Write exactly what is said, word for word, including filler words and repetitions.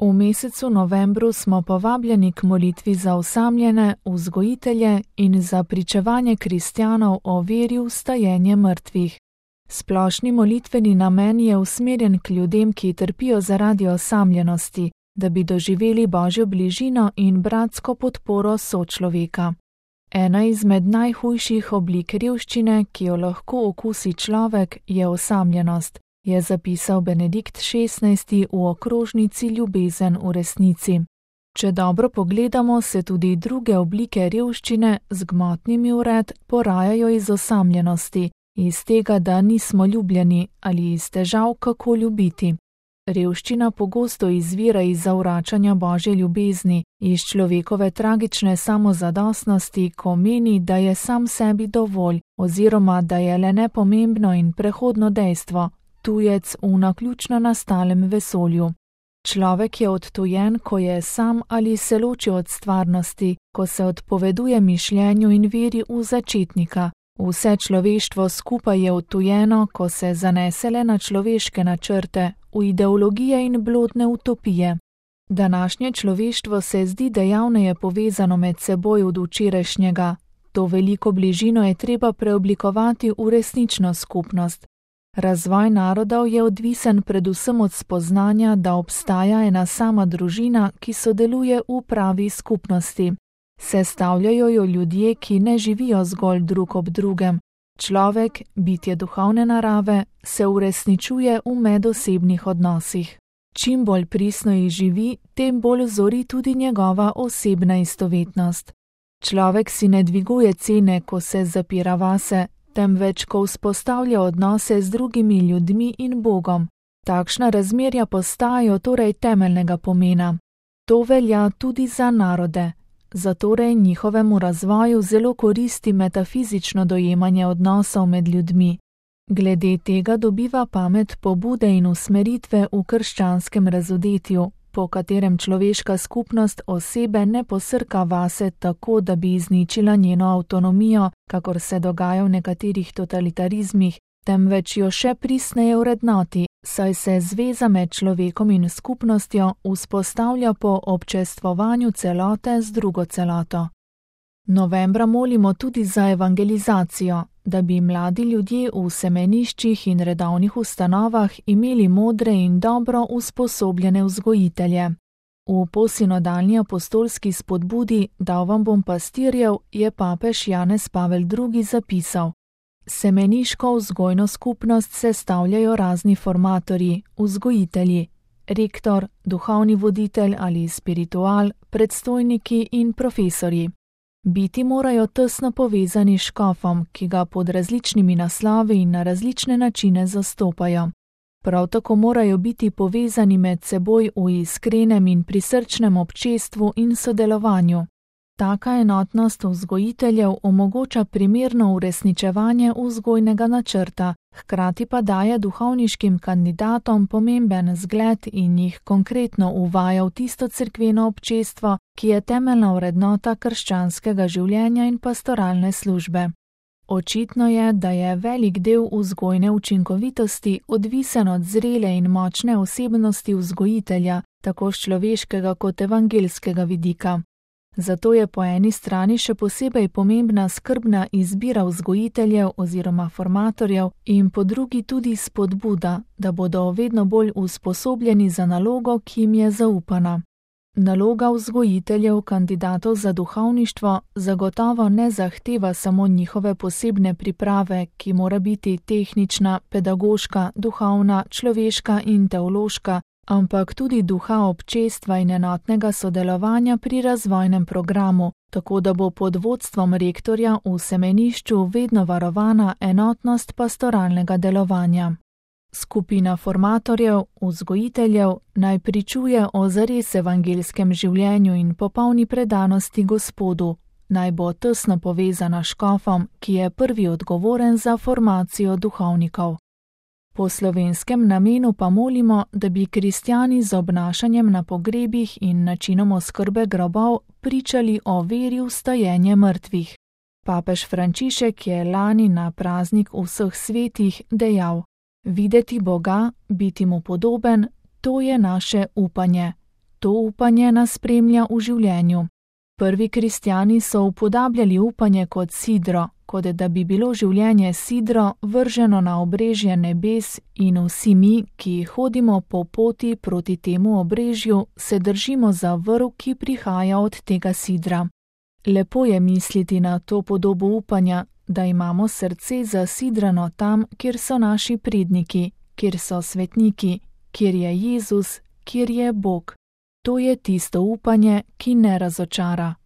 V mesecu novembru smo povabljeni k molitvi za osamljene, vzgojitelje in za pričevanje kristjanov o veri v vstajenje mrtvih. Splošni molitveni namen je usmerjen k ljudem, ki trpijo zaradi osamljenosti, da bi doživeli Božjo bližino in bratsko podporo sočloveka. Ena izmed najhujših oblik revščine, ki jo lahko okusi človek, je osamljenost, je zapisal Benedikt šestnajsti v okrožnici Ljubezen v resnici. Če dobro pogledamo, se tudi druge oblike revščine z gmotnimi vred porajajo iz osamljenosti, iz tega, da nismo ljubljeni ali iz težav, kako ljubiti. Revščina pogosto izvira iz zavračanja Božje ljubezni, iz človekove tragične samozadostnosti, ko meni, da je sam sebi dovolj oziroma da je le nepomembno in prehodno dejstvo, tujec v naključno nastalem vesolju. Človek je odtujen, ko je sam ali se loči od stvarnosti, ko se odpoveduje mišljenju in veri v začetnika. Vse človeštvo skupaj je odtujeno, ko se zanese le na človeške načrte, v ideologije in blodne utopije. Današnje človeštvo se zdi dejavneje povezano med seboj od včerajšnjega. To veliko bližino je treba preoblikovati v resnično skupnost. Razvoj narodov je odvisen predvsem od spoznanja, da obstaja ena sama družina, ki sodeluje v pravi skupnosti. Sestavljajo jo ljudje, ki ne živijo zgolj drug ob drugem. Človek, bitje duhovne narave, se uresničuje v medosebnih odnosih. Čim bolj pristno jih živi, tem bolj zori tudi njegova osebna istovetnost. Človek si ne dviguje cene, ko se zapira vase, temveč ko vzpostavlja odnose z drugimi ljudmi in Bogom. Takšna razmerja postajajo torej temeljnega pomena. To velja tudi za narode. Zatorej njihovemu razvoju zelo koristi metafizično dojemanje odnosov med ljudmi. Glede tega dobiva pamet pobude in usmeritve v krščanskem razodetju, po katerem človeška skupnost osebe ne posrka vase tako, da bi izničila njeno avtonomijo, kakor se dogaja v nekaterih totalitarizmih, temveč jo še pristneje vrednoti, saj se zveza med človekom in skupnostjo vzpostavlja po občestvovanju celote z drugo celoto. Novembra molimo tudi za evangelizacijo, da bi mladi ljudje v semeniščih in redovnih ustanovah imeli modre in dobro usposobljene vzgojitelje. V posinodalni apostolski spodbudi Dal vam bom pastirjev je papež Janez Pavel drugi zapisal: Semeniško vzgojno skupnost sestavljajo razni formatorji, vzgojitelji, rektor, duhovni voditelj ali spiritual, predstojniki in profesorji. Biti morajo tesno povezani s škofom, ki ga pod različnimi naslovi in na različne načine zastopajo. Prav tako morajo biti povezani med seboj v iskrenem in prisrčnem občestvu in sodelovanju. Taka enotnost vzgojiteljev omogoča primerno uresničevanje vzgojnega načrta, hkrati pa daje duhovniškim kandidatom pomemben zgled in jih konkretno uvaja v tisto cerkveno občestvo, ki je temeljna vrednota krščanskega življenja in pastoralne službe. Očitno je, da je velik del vzgojne učinkovitosti odvisen od zrele in močne osebnosti vzgojitelja, tako s človeškega kot evangelskega vidika. Zato je po eni strani še posebej pomembna skrbna izbira vzgojiteljev oziroma formatorjev in po drugi tudi spodbuda, da bodo vedno bolj usposobljeni za nalogo, ki jim je zaupana. Naloga vzgojiteljev kandidatov za duhovništvo zagotovo ne zahteva samo njihove posebne priprave, ki mora biti tehnična, pedagoška, duhovna, človeška in teološka, ampak tudi duha občestva in enotnega sodelovanja pri razvojnem programu, tako da bo pod vodstvom rektorja v semenišču vedno varovana enotnost pastoralnega delovanja. Skupina formatorjev, vzgojiteljev naj pričuje o zares evangelskem življenju in popolni predanosti Gospodu, naj bo tesno povezana s škofom, ki je prvi odgovoren za formacijo duhovnikov. Po slovenskem namenu pa molimo, da bi kristjani z obnašanjem na pogrebih in načinom oskrbe grobov pričali o veri v vstajenje mrtvih. Papež Frančišek je lani na praznik vseh svetih dejal: Videti Boga, biti mu podoben, to je naše upanje. to upanje nas spremlja v življenju. Prvi kristjani so upodabljali upanje kot sidro, kot da bi bilo življenje sidro vrženo na obrežje nebes in vsi mi, ki hodimo po poti proti temu obrežju, se držimo za vrv, ki prihaja od tega sidra. Lepo je misliti na to podobo upanja, da imamo srce zasidrano tam, kjer so naši predniki, kjer so svetniki, kjer je Jezus, kjer je Bog. To je tisto upanje, ki ne razočara.